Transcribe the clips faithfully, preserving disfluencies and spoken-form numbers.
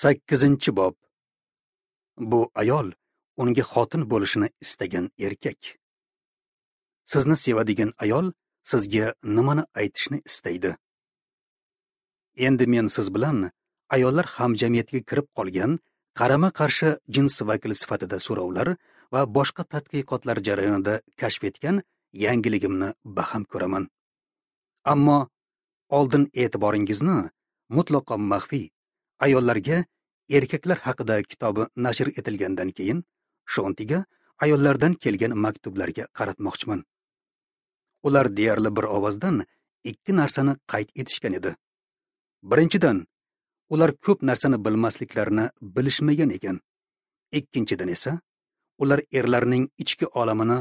Sakkizinchi bob. Bu ayol unga xotin bo'lishini istagan erkak. Sizni sevadigan ayol sizga nimani aytishni istaydi? Endi men siz bilan ayollar hamjamiyatiga kirib qolgan qarama-qarshi jins vakili sifatida so'rovlar va boshqa tadqiqotlar jarayonida kashf etgan yangiligimni baham ko'raman. Ammo oldin e'tiboringizni mutlaqo maxfiy ayollarga erkaklar haqida kitobi nashr etilgandan keyin Shontiga ayollardan kelgan maktublarga qaratmoqchiman. Ular deyarli bir ovozdan ikki narsani qayd etishgan edi. Birinchidan, ular ko'p narsani bilmasliklarini bilishmagan ekan. Ikkinchidan esa, ular erlarning ichki olamini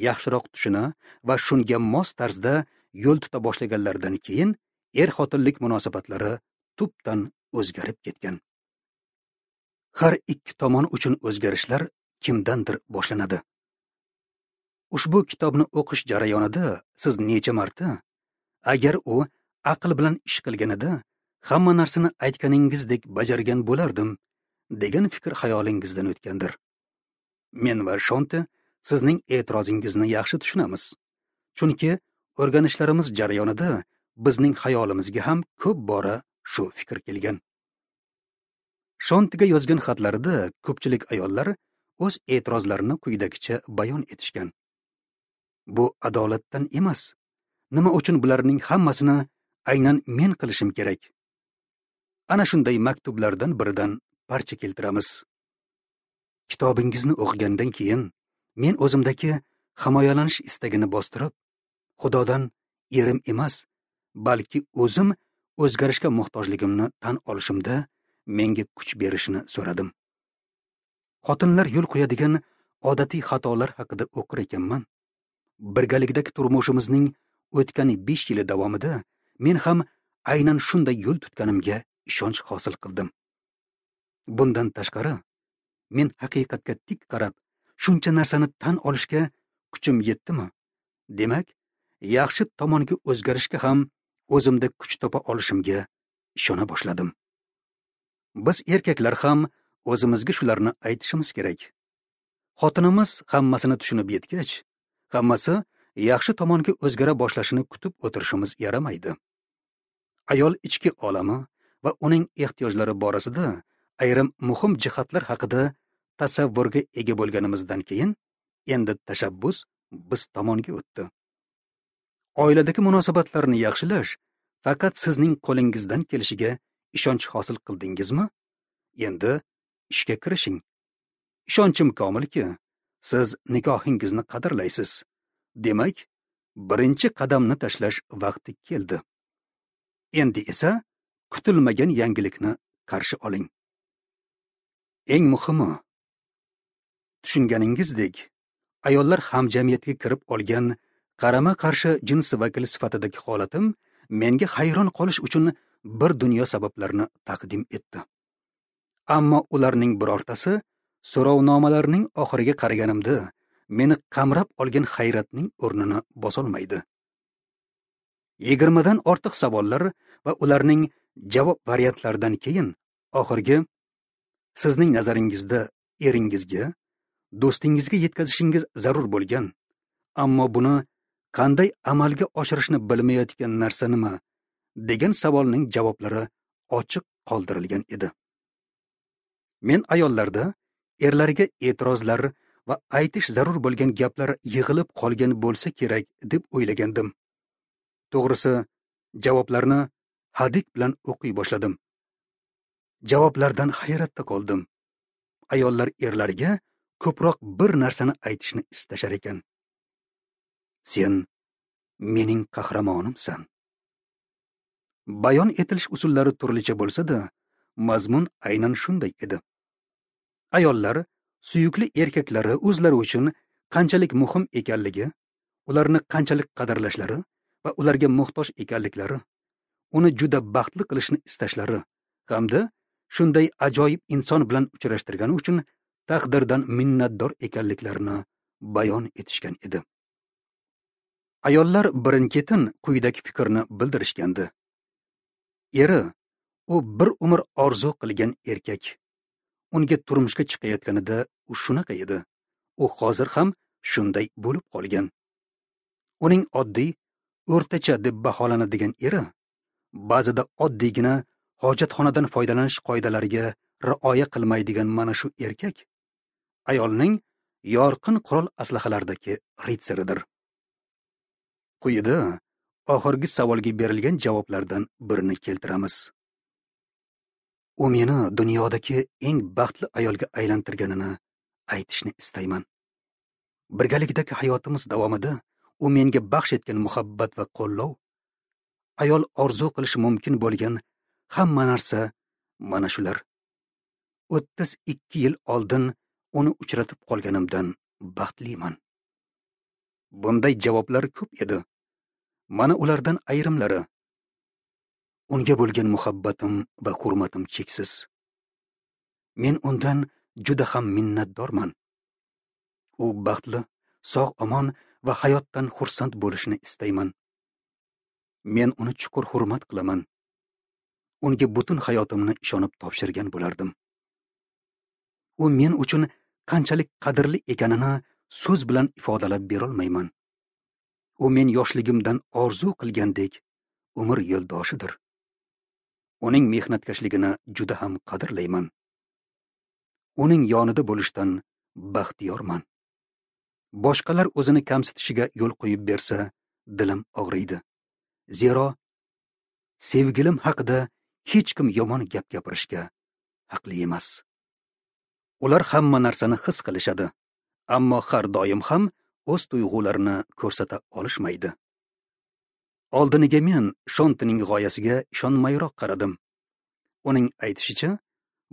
yaxshiroq tushuna va shunga mos tarzda yo'l tuta boshlaganlaridan keyin er-xotinlik munosabatlari tubdan o'zgarib ketgan. Har ikki tomon uchun o'zgarishlar kimdandir boshlanadi. Ushbu kitobni o'qish jarayonida siz necha marta, agar u aql bilan ish qilganida hamma narsani aytganingizdek bajargan bo'lardim degan fikr xayolingizdan o'tgandir. Men va Shonti sizning e'tirozingizni yaxshi tushunamiz. Chunki o'rganishlarimiz jarayonida bizning xayolimizga ham ko'p bora shu fikr kelgan. Shontiga yozgan xatlarida ko'pchilik ayollar o'z e'tirozlarini quyidagicha bayon etishgan. Bu adolatdan emas. Nima uchun bularning hammasini aynan men qilishim kerak? Ana shunday maktublardan biridan parcha keltiramiz. Kitobingizni o'qigandan keyin men o'zimdagi himoyalanish istagini bostirib, Xudodan erim emas, balki o'zim o'zgarishga muhtojligimni tan olishimda menga kuch berishini so'radim. Xotinlar yo'l qo'yadigan odatiy xatolar haqida o'qir ekanman. Birgalikdagi turmushimizning o'tgan besh yili davomida men ham aynan shunday yo'l tutganimga ishonch hosil qildim. Bundan tashqari, men haqiqatga tik qarab, shuncha narsani tan olishga kuchim yetdimi? Demak, yaxshi tomonga o'zgarishga ham o'zimda kuch topa olishimga ishona boshladim. Biz erkaklar ham o'zimizga shularni aytishimiz kerak. Xotinimiz hammasini tushunib yetgach, hammasi yaxshi tomonga o'zgara boshlashini kutib o'tirishimiz yaramaydi. Ayol ichki olami va uning ehtiyojlari borasida ayrim muhim jihatlar haqida tasavvurga ega bo'lganimizdan keyin endi tashabbus biz tomonga o'tdi. Oiladagi munosabatlarni yaxshilash faqat sizning qo'lingizdan kelishiga ishonch hosil qildingizmi? Endi ishga kirishing. Ishonchim komilki, siz nikohingizni qadrlaysiz. Demak, birinchi qadamni tashlash vaqti keldi. Endi esa kutilmagan yangilikni qarshi oling. Eng muhimi, tushunganingizdek, ayollar hamjamiyatga kirib olgan qarama-qarshi jins vakili sifatidagi holatim menga hayron qolish uchun bir dunyo sabablarni taqdim etdi. Ammo ularning birortasi so'rovnomalarning oxiriga qaraganimda meni qamrab olgan hayratning o'rnini bosolmaydi. Yigirmadan ortiq savollar va ularning javob variantlaridan keyin oxirgi sizning nazaringizda eringizga, do'stingizga yetkazishingiz zarur bo'lgan, ammo buni qanday amalga oshirishni bilmayotgan narsa nima degan savolning javoblari ochiq qoldirilgan edi. Men ayollarda erlariga e'tirozlar va aytish zarur bo'lgan gaplar yig'ilib qolgan bo'lsa kerak deb o'ylagandim. To'g'risi, javoblarni hadik bilan o'qiy boshladim. Javoblardan hayratda qoldim. Ayollar erlariga ko'proq bir narsani aytishni istashar ekan. Sen mening qahramonimsan. Bayon etilish usullari turlicha bo'lsa-da, mazmun aynan shunday edi. Ayollar suyukli erkaklari o'zlari uchun qanchalik muhim ekanligi, ularni qanchalik qadrlashlari va ularga muhtoj ekanliklari, uni juda baxtli qilishni istashlari hamda shunday ajoyib inson bilan uchrashtirgani uchun taqdirdan minnatdor ekanliklarini bayon etishgan edi. Ayollar birin-ketin quyidagi fikrni bildirishgandi. Eri U bir umr orzu qilgan erkak. Unga turmushga chiqayotganida u shunaqa edi. U hozir ham shunday bo'lib qolgan. Uning oddiy, o'rtacha deb baholanadigan eri ba'zida oddiygina hojatxonadan foydalanish qoidalariga rioya qilmaydigan mana shu erkak ayolning yorqin qurol aslahalardagi ritsaridir. Quyida oxirgi savolga berilgan javoblardan birini keltiramiz. U meni dunyodagi eng baxtli ayolga aylantirganini aytishni istayman. Birgalikdagi hayotimiz davomida u menga baxsh etgan muhabbat va qo'llov, ayol orzu qilishi mumkin bo'lgan hamma narsa mana shular. o'ttiz ikki yil oldin uni uchratib qolganimdan baxtliman. Bunday javoblar ko'p edi. Mana ulardan ayrimlari. Unga bo'lgan muhabbatim va hurmatim cheksiz. Men undan juda ham minnatdorman. U baxtli, sog'-omon va hayotdan xursand bo'lishini istayman. Men uni chuqur hurmat qilaman. Unga butun hayotimni ishonib topshirgan bo'lardim. U men uchun qanchalik qadrli ekanini so'z bilan ifodalab berolmayman. U men yoshligimdan orzu qilgandek umr yo'ldoshidir. Uning mehnatkashligini juda ham qadrlayman. Uning yonida bo'lishdan baxtiyorman. Boshqalar o'zini kamsitishiga yo'l qo'yib bersa, dilim og'riydi. Zero sevgilim haqida hech kim yomon gap gapirishga haqli emas. Ular hamma narsani his qilishadi, ammo har doim ham o'z tuyg'ularini ko'rsata olishmaydi. Oldiniga men Shontining g'oyasiga ishonmayroq qaradim. Uning aytishicha,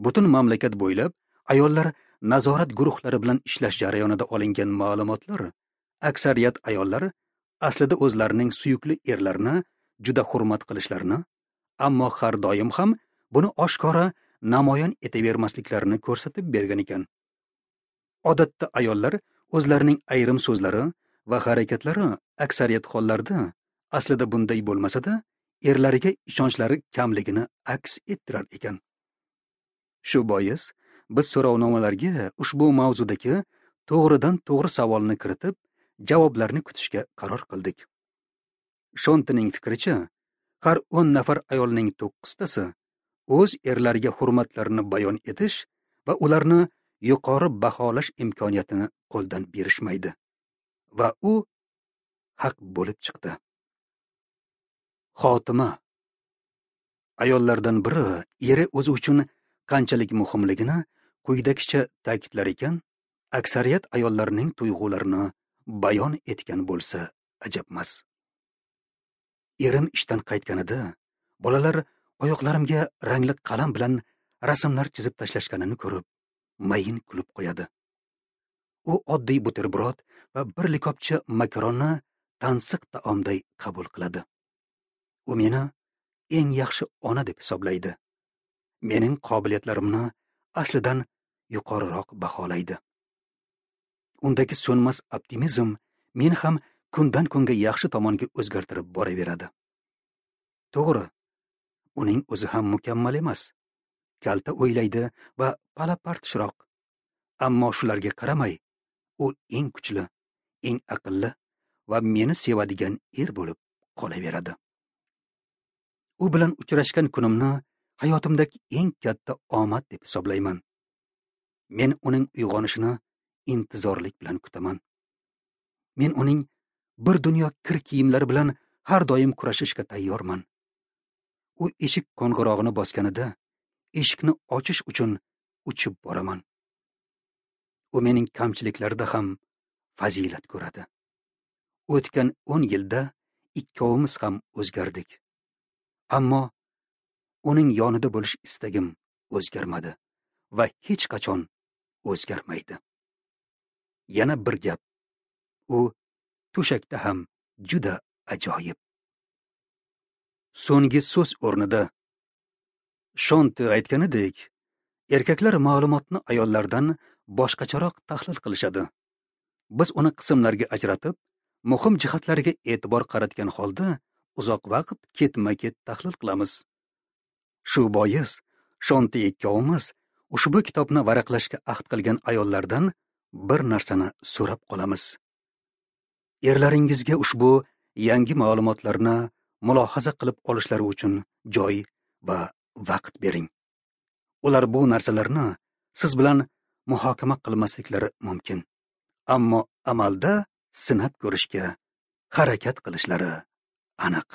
butun mamlakat bo'ylab ayollar nazorat guruhlari bilan ishlash jarayonida olingan ma'lumotlar aksariyat ayollar aslida o'zlarining suyukli erlarini juda hurmat qilishlarini, ammo har doim ham buni oshkora namoyon etavermasliklarini ko'rsatib bergan ekan. Odatda ayollar o'zlarining ayrim so'zlari va harakatlari aksariyat hollarda aslida bunday bo'lmasa-da, erlariga ishonchlari kamligini aks ettirar ekan. Shu bois biz so'rovnomalarga ushbu mavzudagi to'g'ridan to'g'ri savolni kiritib, javoblarni kutishga qaror qildik. Shontining fikricha, har o'n nafar ayolning to'qqiztasi o'z erlariga hurmatlarini bayon etish va ularni yuqori baholash imkoniyatini qo'ldan berishmaydi. Va u haq bo'lib chiqdi. Xotima. Ayollardan biri eri o'zi uchun qanchalik muhimligini quyidagicha ta'kidlar ekan, aksariyat ayollarning tuyg'ularini bayon etgan bo'lsa ajabmas. Erim ishdan qaytganida bolalar oyoqlarimga rangli qalam bilan rasmlar chizib tashlashganini ko'rib, mayin kulib qo'yadi. U oddiy buterbrod va bir likopcha makaronni tansiq taomday qabul qiladi. U meni eng yaxshi ona deb hisoblaydi. Mening qobiliyatlarimni aslidan yuqoriroq baholaydi. Undagi so'nmas optimizm meni ham kundan kunga yaxshi tomonga o'zgartirib boraveradi. To'g'ri, uning o'zi ham mukammal emas. Kalta o'ylaydi va pala-partishroq. Ammo shularga qaramay, u eng kuchli, eng aqlli va meni sevadigan er bo'lib qolaveradi. U bilan uchrashgan kunimni hayotimdagi eng katta omad deb hisoblayman. Men uning uyg'onishini intizorlik bilan kutaman. Men uning bir dunyo kir kiyimlari bilan har doim kurashishga tayyorman. U eshik qo'ng'irog'ini bosganida eshikni ochish uchun uchib boraman. U mening kamchiliklarida ham fazilat ko'radi. O'tgan o'n yilda ikkovimiz ham o'zgardik. Ammo uning yonida bo'lish istagim o'zgarmadi va hech qachon o'zgarmaydi. Yana bir gap. U to'shakda ham juda ajoyib. So'nggi so'z o'rnida Shonti aytganidek, erkaklar ma'lumotni ayollardan boshqacharoq tahlil qilishadi. Biz uni qismlarga ajratib, muhim jihatlariga e'tibor qaratgan holda uzoq vaqt ketma-ket tahlil qilamiz. Shu bois Shonti ikkovimiz ushbu kitobni varaqlashga ahd qilgan ayollardan bir narsani so'rab qolamiz. Erlaringizga ushbu yangi ma'lumotlarni mulohaza qilib olishlari uchun joy va vaqt bering. Ular bu narsalarni siz bilan muhokama qilmasliklari mumkin, ammo amalda sinab ko'rishga harakat qilishlari aniq.